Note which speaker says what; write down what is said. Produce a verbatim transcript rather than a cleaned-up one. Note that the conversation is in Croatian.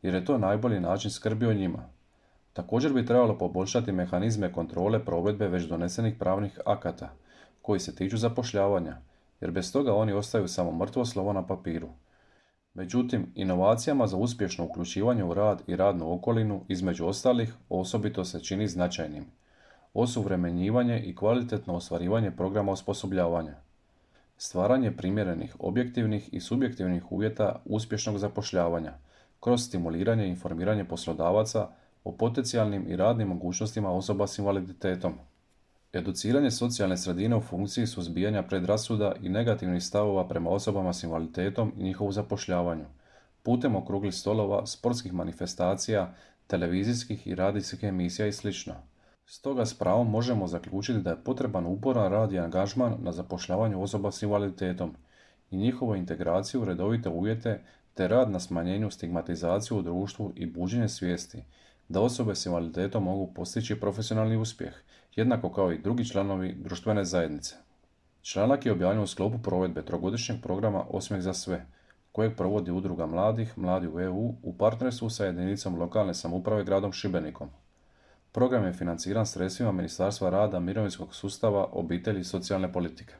Speaker 1: jer je to najbolji način skrbi o njima. Također bi trebalo poboljšati mehanizme kontrole provedbe već donesenih pravnih akata, koji se tiču zapošljavanja, jer bez toga oni ostaju samo mrtvo slovo na papiru. Međutim, inovacijama za uspješno uključivanje u rad i radnu okolinu, između ostalih, osobito se čini značajnim osuvremenjivanje i kvalitetno ostvarivanje programa osposobljavanja, stvaranje primjerenih objektivnih i subjektivnih uvjeta uspješnog zapošljavanja, kroz stimuliranje i informiranje poslodavaca o potencijalnim i radnim mogućnostima osoba s invaliditetom. Educiranje socijalne sredine u funkciji suzbijanja predrasuda i negativnih stavova prema osobama s invaliditetom i njihovu zapošljavanju, putem okruglih stolova, sportskih manifestacija, televizijskih i radijskih emisija i sl. Stoga s pravom možemo zaključiti da je potreban uporan rad i angažman na zapošljavanju osoba s invaliditetom i njihovu integraciju u redovite uvjete te rad na smanjenju stigmatizacije u društvu i buđenje svijesti da osobe s invaliditetom mogu postići profesionalni uspjeh, jednako kao i drugi članovi društvene zajednice. Članak je objavljen u sklopu provedbe trogodišnjeg programa Osmijeh za sve, kojeg provodi Udruga mladih, Mladi u E U, u partnerstvu sa jedinicom lokalne samouprave gradom Šibenikom. Program je financiran sredstvima Ministarstva rada, mirovinskog sustava, obitelji i socijalne politike.